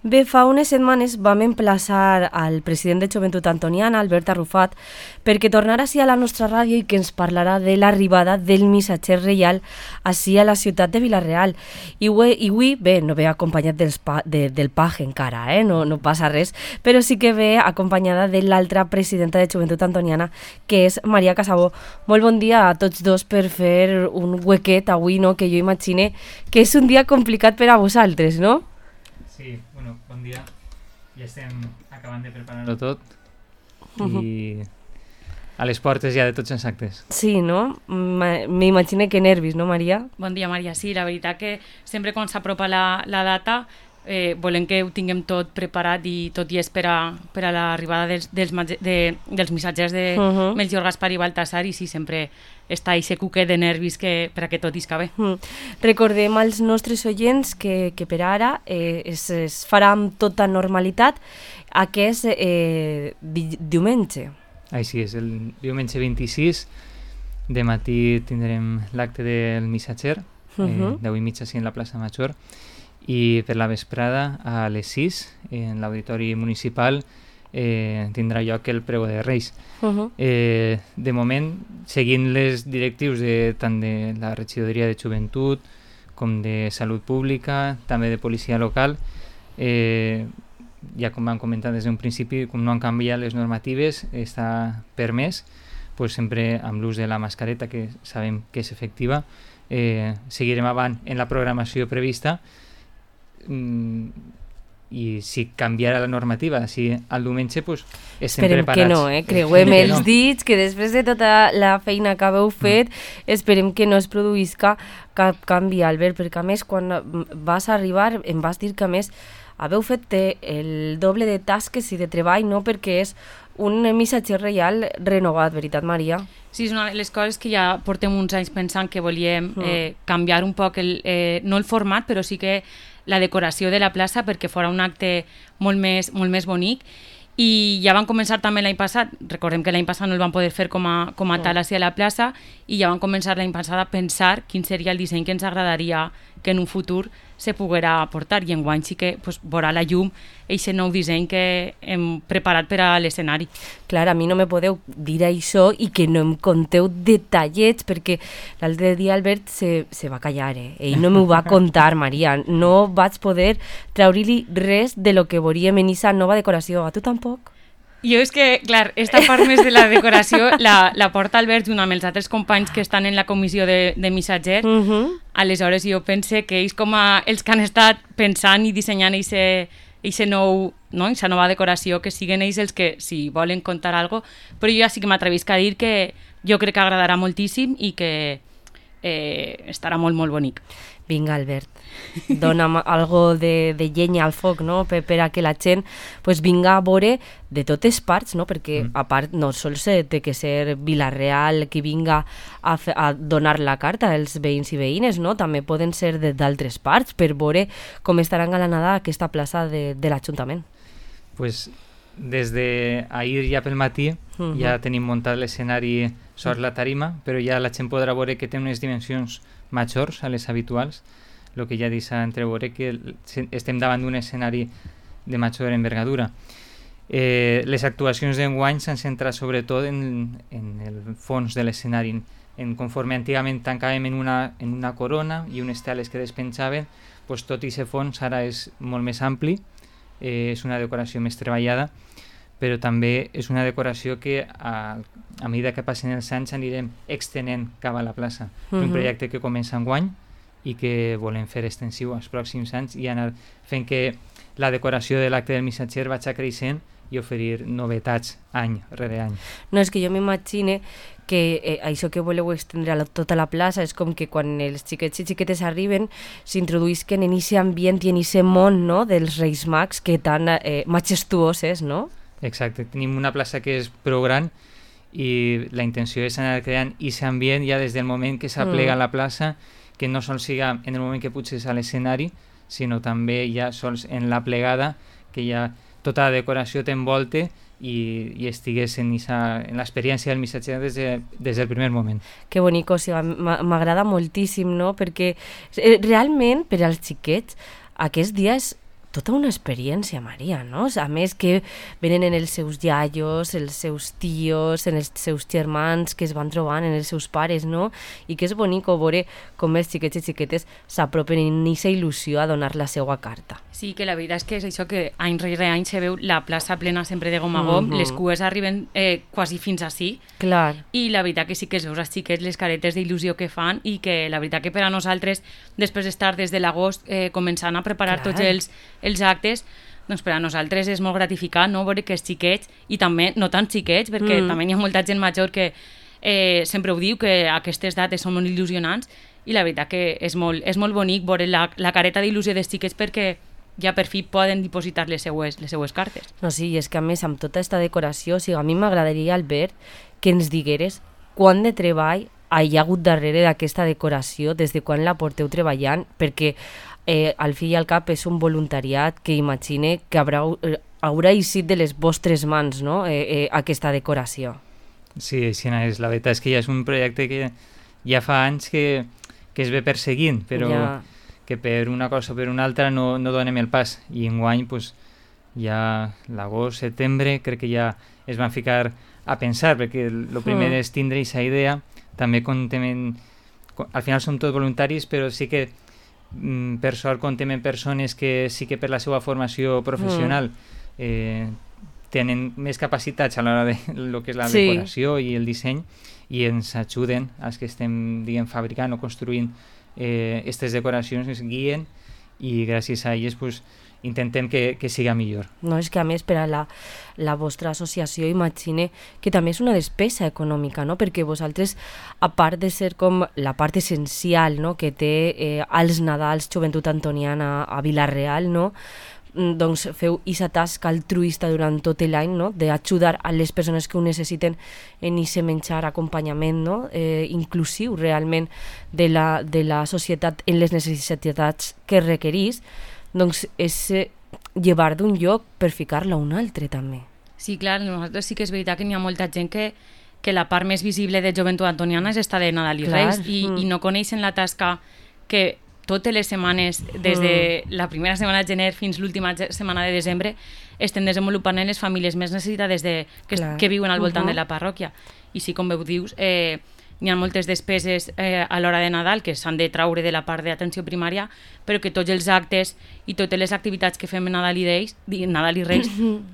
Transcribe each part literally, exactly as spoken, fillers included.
Bé, fa unes setmanes vam emplaçar al president de Joventut Antoniana, Albert Arrufat, perquè tornara ací a la nostra ràdio i que ens parlarà de l'arribada del missatger reial ací a la ciutat de Vila-real. I avui, bé, no ve acompanyat dels pa, de, del paje encara, eh? no, no passa res, però sí que ve acompanyada de l'altra presidenta de Joventut Antoniana, que és Maria Casabó. Molt bon dia a tots dos per fer un huequet avui, no? Que jo imagine que és un dia complicat per a vosaltres, no? Sí, bueno, bon dia. Ja estem acabant de preparar-ho tot i a les portes ja de tots els actes. Sí, no? M'imagino que nervis, no, Maria? Bon dia, Maria. Sí, la veritat que sempre quan s'apropa la, la data eh, volem que ho tinguem tot preparat i tot i és per a, per a l'arribada dels, dels, de, dels missatgers de uh -huh. Melchior, Gaspar i Baltasar, i sí, sempre està aquest cuquet de nervis que, per a que tot isca bé. Mm. Recordem als nostres oients que, que per ara eh, es, es farà amb tota normalitat aquest eh, di, diumenge. Així és, el diumenge vint-i-sis de matí tindrem l'acte del missatger, uh -huh. eh, deu i mitja sí en la plaça Major, i per la vesprada a les sis en l'auditori municipal eh, tindrà lloc el pregó de Reis. Uh -huh. eh, de moment, seguint les directius de, tant de la regidoria de Joventut com de Salut Pública, també de policia local, eh, ja com vam comentar des d'un principi, com no han canviat les normatives, està permès, pues sempre amb l'ús de la mascareta, que sabem que és efectiva. Eh, seguirem avant en la programació prevista, mm, i si canviarà la normativa, si al diumenge, pues, estem esperem preparats. Esperem que no, eh? Creuem els no. dits, que després de tota la feina que haveu fet, mm. esperem que no es produïsca cap canvi, Albert, perquè a més, quan vas arribar, em vas dir que a més haveu fet el doble de tasques i de treball, no? Perquè és un missatger reial renovat, veritat, Maria? Sí, és una de les coses que ja portem uns anys pensant que volíem eh, canviar un poc, el, eh, no el format, però sí que la decoració de la plaça perquè fora un acte molt més, molt més bonic. I ja van començar també l'any passat, recordem que l'any passat no el van poder fer com a, com a tal a la plaça, i ja van començar l'any passat a pensar quin seria el disseny que ens agradaria que en un futur se poguera portar, i enguany sí que pues, veurà la llum aquest nou disseny que hem preparat per a l'escenari. Clar, a mi no me podeu dir això i que no em conteu detallets, perquè l'altre dia Albert se, se va callar, eh? Ell no m'ho va contar, Maria, no vaig poder treure-li res de lo que veuríem en aquesta nova decoració. A tu tampoc? Jo és que, clar, esta part més de la decoració la, la porta Albert junt amb els altres companys que estan en la comissió de, de missatger. Uh -huh. Aleshores jo pense que ells com a els que han estat pensant i dissenyant aquesta nou, no? nova decoració, que siguen ells els que si volen contar alguna cosa, però jo ja sí que m'atrevisc a dir que jo crec que agradarà moltíssim i que eh, estarà molt, molt bonic. Vinga, Albert, dona'm algo de, de llenya al foc, no? Per, per a que la gent pues, vinga a veure de totes parts, no? Perquè mm. a part no sols té que ser Vila-real qui vinga a, fe, a donar la carta als veïns i veïnes, no? També poden ser d'altres parts per veure com estarà engalanada aquesta plaça de, de l'Ajuntament. Pues des d'ahir ja pel matí uh-huh. ja tenim muntat l'escenari sobre la tarima, però ja la gent podrà veure que té unes dimensions majors a les habituals, el que ja deixa entreveure que estem davant d'un escenari de major envergadura. Eh, les actuacions d'enguany s'han centrat sobretot en, en el fons de l'escenari, en, en conforme antigament tancàvem en una, en una corona i unes teles que despenjaven, pues tot i aquest fons ara és molt més ampli, eh, és una decoració més treballada, però també és una decoració que a, a mesura que passen els anys anirem extenent cap a la plaça. Uh-huh. És un projecte que comença enguany i que volem fer extensiu als pròxims anys i anar fent que la decoració de l'acte del missatger vagi creixent i oferir novetats any rere any. No, és que jo m'imagine que eh, això que voleu estendre a la, tota la plaça és com que quan els xiquets i xiquetes arriben s'introduïsquen en aquest ambient i en aquest món, no?, dels Reis Mags que tan eh, majestuoses, no? Exacte, tenim una plaça que és prou gran i la intenció és anar creant aquest ambient ja des del moment que s'aplega mm. la plaça, que no sols siga en el moment que puges a l'escenari, sinó també ja sols en la plegada, que ja tota la decoració t'envolte i, i estigués en, esa, en l'experiència del missatger des, de, des del primer moment. Que bonic, o sigui, m'agrada moltíssim, no? Perquè eh, realment per als xiquets aquest dia és tota una experiència, Maria, no? A més que venen en els seus iaios, els seus tios, en els seus germans que es van trobant, en els seus pares, no? I que és bonic veure com els xiquets i xiquetes s'apropen en aquesta il·lusió a donar la seva carta. Sí, que la veritat és que és això que any rere any se veu la plaça plena sempre de gom a gom, mm-hmm. les cues arriben eh, quasi fins ací. Clar. I la veritat que sí que es veus als xiquets les caretes d'il·lusió que fan i que la veritat que per a nosaltres, després d'estar des de l'agost eh, començant a preparar Clar. tots els, els actes, doncs per a nosaltres és molt gratificant, no?, veure que els xiquets, i també no tan xiquets, perquè mm. també hi ha molta gent major que eh, sempre ho diu, que aquestes dates són molt il·lusionants, i la veritat que és molt, és molt bonic veure la, la careta d'il·lusió dels xiquets perquè ja per fi poden dipositar les seues, les seues cartes. No, sí, és que a més amb tota aquesta decoració, o sigui, a mi m'agradaria, Albert, que ens digueres quant de treball hi ha hagut darrere d'aquesta decoració, des de quan la porteu treballant, perquè eh, al fi i al cap és un voluntariat que imagine que haurà, eh, haurà eixit de les vostres mans, no?, eh, eh, aquesta decoració. Sí, així és. La veritat és que ja és un projecte que ja fa anys que, que es ve perseguint, però ja. que per una cosa o per una altra no, no donem el pas. I enguany, pues, ja l'agost, setembre, crec que ja es van ficar a pensar, perquè el primer mm. és tindre aquesta idea. També contem en, al final som tots voluntaris, però sí que mm, per sort contem en persones que sí que per la seva formació professional mm. eh, tenen més capacitats a l'hora de lo que és la sí. decoració i el disseny, i ens ajuden als que estem, diguem, fabricant o construint aquestes eh, decoracions, ens guien, i gràcies a elles pues, intentem que, que siga millor. No, és que a més per a la, la vostra associació imagine que també és una despesa econòmica, no? Perquè vosaltres, a part de ser com la part essencial, no?, que té eh, als Nadals Joventut Antoniana a Vila-real, no?, doncs feu aquesta tasca altruista durant tot l'any, no?, d'ajudar a les persones que ho necessiten en aquest menjar, acompanyament, no?, eh, inclusiu realment de la, de la societat en les necessitats que requerís, doncs és eh, llevar d'un lloc per ficar-la a un altre també. Sí, clar, nosaltres sí que és veritat que n'hi ha molta gent que, que la part més visible de Joventut Antoniana és esta de Nadal i clar. Reis, i, mm. i no coneixen la tasca que totes les setmanes, des de la primera setmana de gener fins l'última setmana de desembre, estem desenvolupant en les famílies més necessitades de, que, que viuen al voltant uh-huh. de la parròquia. I sí, com veu dius, eh, hi ha moltes despeses eh, a l'hora de Nadal que s'han de traure de la part d'atenció primària, però que tots els actes i totes les activitats que fem en Nadal i, Deis, Nadal i Reis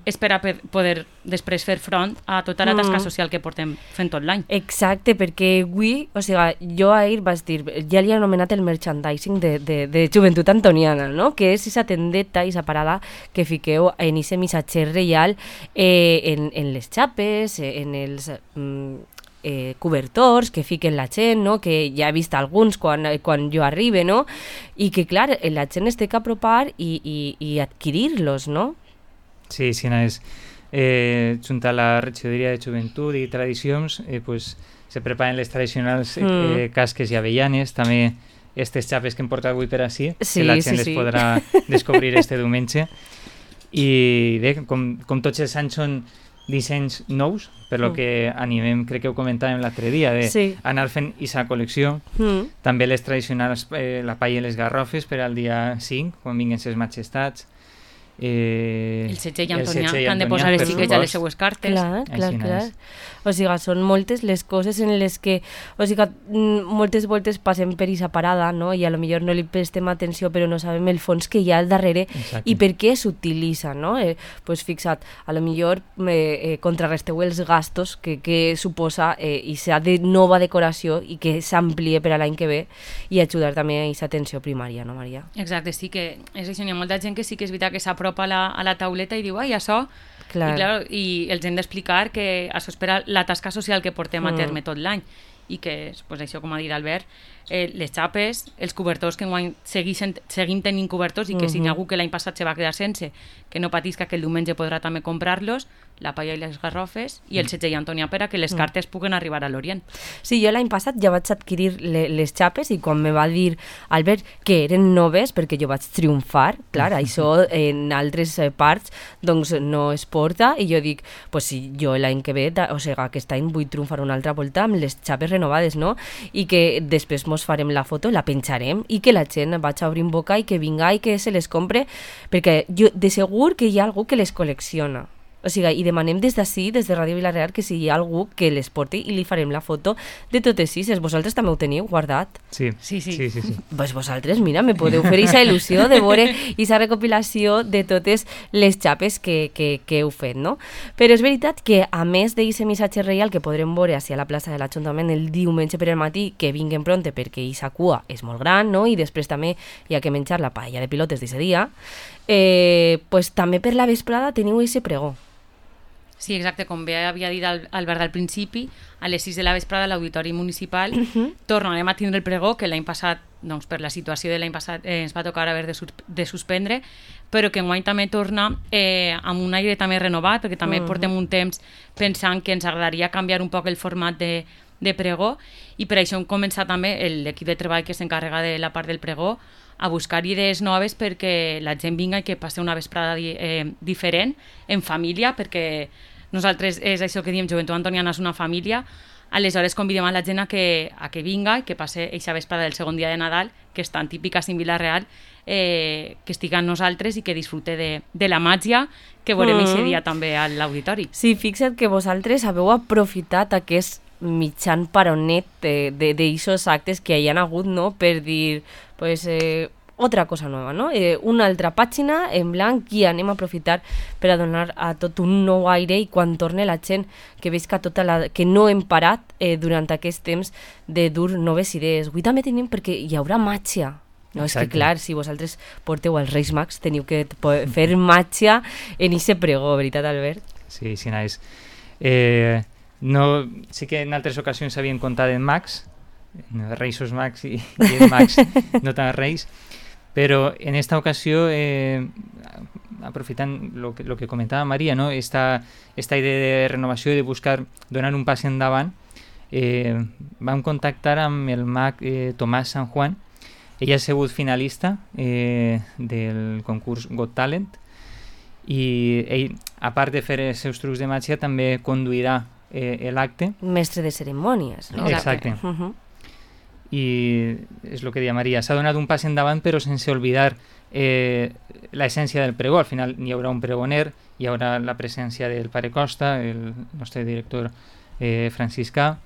és per a poder després fer front a tota la tasca social que portem fent tot l'any. Exacte, perquè avui, o sigui, jo ahir vaig dir, ja li he anomenat el merchandising de, de, de Joventut Antoniana, no?, que és aquesta tendeta, aquesta parada que fiqueu en aquest missatger reial eh, en, en les xapes, en els... Mm, Eh, cobertors que fiquen la gent, no?, que ja he vist alguns quan, quan jo arribe, no?, i que clar, la gent es té que apropar i, i, i adquirir-los, no? Sí, sí, no és eh, junt a la regidoria de Joventut i Tradicions eh, pues, se preparen les tradicionals eh, mm. casques i avellanes, també aquestes xapes que hem portat avui per ací, sí, que la gent sí, les sí. podrà descobrir este diumenge, i bé, com, com tots els anys són dissenys nous, per lo mm. que animem, crec que ho comentàvem l'altre dia, de sí. anar fent aquesta col·lecció. Mm. També les tradicionals, eh, la palla i les garrofes per al dia cinc, quan vinguin ses majestats. Eh, el setge i Antonià, que han de posar les xiquets a les seues cartes. Clar, clar, clar. O sigui, són moltes les coses en les que, o sigui, moltes voltes passem per aquesta parada, no?, i a lo millor no li prestem atenció, però no sabem el fons que hi ha al darrere. Exacte. I per què s'utilitza, no? Eh, pues fixa't, a lo millor eh, eh, contrarresteu els gastos que, que suposa eh, i s'ha de nova decoració i que s'amplie per a l'any que ve, i ajudar també a aquesta atenció primària, no, Maria? Exacte, sí que és això, hi ha molta gent que sí que és veritat que s'apropa a la, a la tauleta i diu, ai, això... Clar. I, clar, i els hem d'explicar que això és per a la tasca social que portem a terme tot l'any, i que, pues, això, com ha dit Albert, eh, les xapes, els cobertors que enguany seguim, seguim tenint cobertors i que uh-huh. si n'hi ha algú que l'any passat se va quedar sense, que no patisca, que el diumenge podrà també comprar-los, la palla i les garrofes i el setge i Antonià per a que les cartes puguen arribar a l'Orient. Sí, jo l'any passat ja vaig adquirir le, les xapes i quan me va dir Albert que eren noves, perquè jo vaig triomfar, clar, això en altres parts doncs no es porta, i jo dic, pues si jo l'any que ve, o sigui, aquest any vull triomfar una altra volta amb les xapes renovades, no? I que després mos farem la foto, la penjarem i que la gent vaig obrint boca i que vinga i que se les compre, perquè jo de segur que hi ha algú que les col·lecciona. O sigui, i demanem des d'ací, des de Ràdio Vila-real, que si hi ha algú que les porti i li farem la foto de totes sis. Vosaltres també ho teniu guardat? Sí, sí, sí. sí, sí, sí. Pues vosaltres, mira, me podeu fer aquesta il·lusió de veure aquesta recopilació de totes les xapes que, que, que heu fet, no? Però és veritat que, a més d'aquest missatge reial que podrem veure a la plaça de l'Ajuntament el diumenge per al matí, que vinguen pronte perquè aquesta cua és molt gran, no? I després també hi ha que menjar la paella de pilotes d'aquest dia, eh, pues també per la vesprada teniu aquest pregó. Sí, exacte, com bé havia dit Albert al principi, a les sis de la vesprada a l'Auditori Municipal uh-huh. tornarem a tindre el pregó, que l'any passat, doncs, per la situació de l'any passat, eh, ens va tocar haver de, de suspendre, però que enguany també torna eh, amb un aire també renovat, perquè també uh-huh. portem un temps pensant que ens agradaria canviar un poc el format de, de pregó, i per això hem començat també l'equip de treball que s'encarrega de la part del pregó a buscar idees noves perquè la gent vinga i que passi una vesprada di, eh, diferent, en família, perquè nosaltres és això que diem, Joventut Antoniana és una família, aleshores convidem a la gent a que, a que vinga i que passe eixa vesprada del segon dia de Nadal, que és tan típica en Vila-real, eh, que estigui amb nosaltres i que disfrute de, de la màgia que veurem mm. eixe dia també a l'auditori. Sí, fixa't que vosaltres haveu aprofitat aquest mitjan paronet d'eixos actes que hi ha hagut, no?, per dir, pues, eh, otra cosa nueva, no? Eh, una altra pàgina en blanc i anem a aprofitar per a donar a tot un nou aire i quan torne la gent que veig que, tota la, que no hem parat eh, durant aquest temps de dur noves idees. Avui també tenim perquè hi haurà màgia. No, és que clar, si vosaltres porteu els Reis Mags teniu que fer màgia en aquest pregó, veritat, Albert? Sí, sí, nice. Eh, no, sí que en altres ocasions s'havien contat en Mags, Reisos Mags i, i en Mags, no tan Reis, però en esta ocasió, eh, aprofitant lo que, lo que comentava Maria, ¿no? esta, esta idea de renovació i de buscar donar un pas endavant, eh, vam contactar amb el mag eh, Tomàs San Juan. Ella ha sigut finalista eh, del concurs Got Talent i ell, a part de fer els seus trucs de màgia, també conduirà eh, l'acte. Mestre de cerimònies, no? Exacte. Uh -huh. I és el que deia Maria, s'ha donat un pas endavant però sense oblidar eh, l'essència del pregó. Al final hi haurà un pregoner, hi haurà la presència del pare Costa, el nostre director eh, franciscà,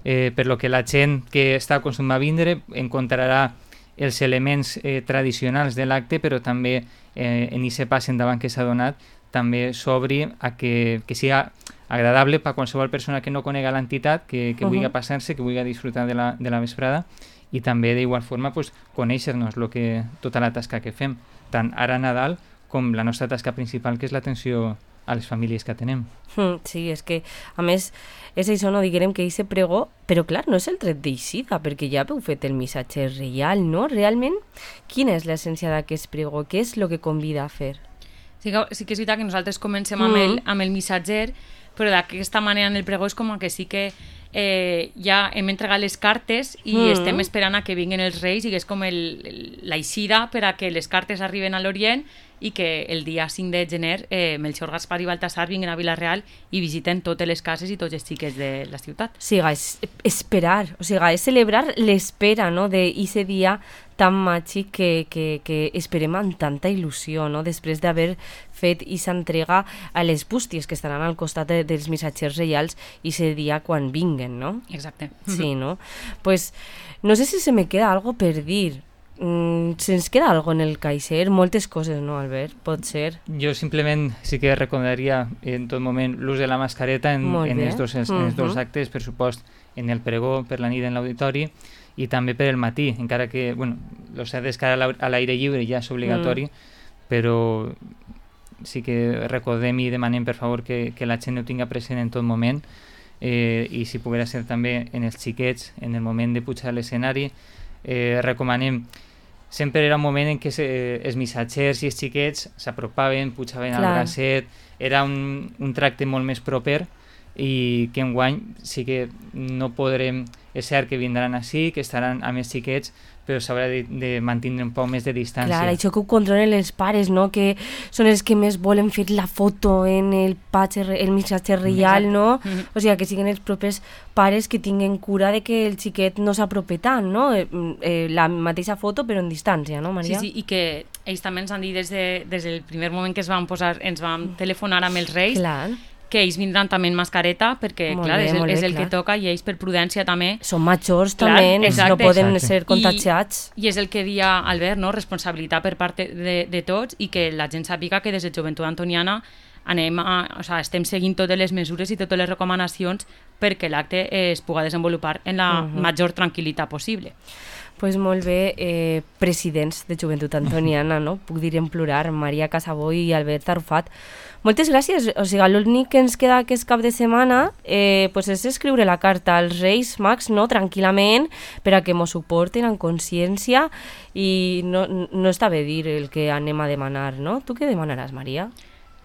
eh, per lo que la gent que està acostumada a vindre encontrarà els elements eh, tradicionals de l'acte, però també eh, en aquest pas endavant que s'ha donat també s'obri a que, que siga agradable per a qualsevol persona que no conega l'entitat, que, que uh -huh. vulgui passar-se, que vulgui disfrutar de la, de la vesprada, i també d'igual forma pues, conèixer-nos lo que, tota la tasca que fem, tant ara a Nadal com la nostra tasca principal, que és l'atenció a les famílies que tenem. Sí, és que, a més, és això, no diguem que aquest pregó, però clar, no és el tret d'eixida, perquè ja heu fet el missatge reial, no? Realment, quina és l'essència d'aquest pregó? Què és el que convida a fer? Sí que, sí que és veritat que nosaltres comencem amb, mm. el, amb el missatger, però d'aquesta manera en el pregó és com que sí que eh, ja hem entregat les cartes i mm. estem esperant a que vinguin els reis i que és com l'eixida per a que les cartes arriben a l'Orient i que el dia cinc de gener eh, Melchor, Gaspar i Baltasar vinguin a Vila-real i visiten totes les cases i tots els xiquets de la ciutat. O sigui, és esperar, o sigui, és celebrar l'espera, no?, d'aquest dia tan màgic que, que, que esperem amb tanta il·lusió, no?, després d'haver fet aquesta entrega a les bústies que estaran al costat de, dels missatgers reials i aquest dia quan vinguen, no? Exacte. Sí, no? Pues no sé si se me queda algo per dir. Mm, se'ns queda algo en el caixer? Moltes coses, no, Albert? Pot ser. Jo simplement sí que recomanaria en tot moment l'ús de la mascareta en, en, els dos, en els uh-huh. dos actes, per supost, en el pregó, per la nit en l'auditori, i també per el matí, encara que, bueno, lo cert és que ara a l'aire lliure ja és obligatori, mm. però sí que recordem i demanem, per favor, que, que la gent ho tinga present en tot moment, eh, i si poguera ser també en els xiquets, en el moment de pujar a l'escenari. Eh, recomanem, sempre era un moment en què se, els missatgers i els xiquets s'apropaven, pujaven Clar. al bracet, era un, un tracte molt més proper, i que enguany sí que no podrem, és cert que vindran així, que estaran a més xiquets, però s'haurà de, de mantenir un poc més de distància. Clar, això que ho controlen els pares, no? Que són els que més volen fer la foto en el, patge, el missatge reial, no? Mm-hmm. O sigui, que siguin els propers pares que tinguen cura de que el xiquet no s'apropi tant, no? Eh, eh, la mateixa foto però en distància, no, Maria? Sí, sí, i que ells també ens han dit des, de, des del primer moment que es van posar, ens van telefonar amb els Reis, clar, que ells vindran també en mascareta, perquè molt clar, bé, és, el, bé, és el clar. que toca, i ells per prudència també. Són majors clar, també, exacte, no poden exacte. ser contagiats. I, I és el que dia Albert, no? Responsabilitat per part de, de tots, i que la gent sàpiga que des de Joventut Antoniana anem a, o sea, estem seguint totes les mesures i totes les recomanacions perquè l'acte es pugui desenvolupar en la uh-huh. major tranquil·litat possible. Pues molt bé, eh, presidents de Joventut Antoniana, no? Puc dir en plural, Maria Casabó i Albert Arrufat. Moltes gràcies. O sigui, l'únic que ens queda aquest cap de setmana eh, pues és escriure la carta als Reis Mags, no? Tranquil·lament, per a que mos suporten amb consciència, i no, no està bé dir el que anem a demanar, no? Tu què demanaràs, Maria?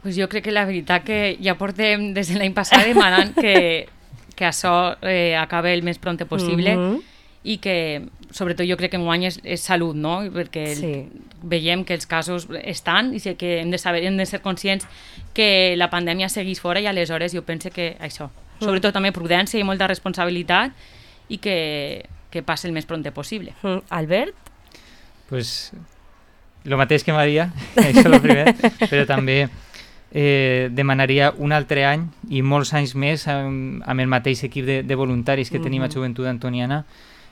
Pues jo crec que la veritat que ja portem des de l'any passat demanant que, que això eh, acabe el més prompte possible, mm-hmm. i que sobretot jo crec que enguany és, és salut, no? Perquè sí. veiem que els casos estan i que hem de saber, hem de ser conscients que la pandèmia segueix fora, i aleshores jo penso que això, sobretot mm. també prudència i molta responsabilitat, i que, que passi el més prompte possible. Mm. Albert? Pues el mateix que Maria, això és el primer, però també eh, demanaria un altre any i molts anys més amb, amb el mateix equip de, de voluntaris que mm-hmm. tenim a Joventut Antoniana,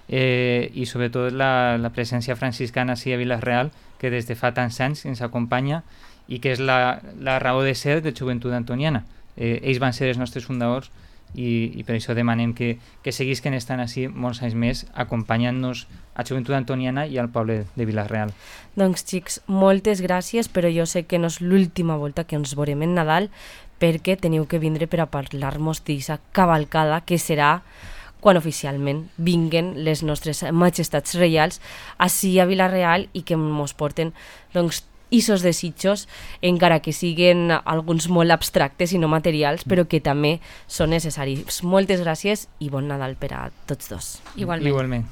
eh, i sobretot la, la presència franciscana a Vila-real, que des de fa tants anys ens acompanya i que és la, la raó de ser de Joventut Antoniana. Eh, ells van ser els nostres fundadors, i, i per això demanem que, que seguisquen estant així molts anys més, acompanyant-nos a Joventut Antoniana i al poble de Vila-real. Doncs xics, moltes gràcies, però jo sé que no és l'última volta que ens veurem en Nadal, perquè teniu que vindre per a parlar-nos d'aquesta cavalcada que serà quan oficialment vinguen les nostres majestats reials ací a Vila-real, i que ens porten doncs isos desitjos, encara que siguen alguns molt abstractes i no materials, però que també són necessaris. Moltes gràcies i bon Nadal per a tots dos. Igualment. Igualment.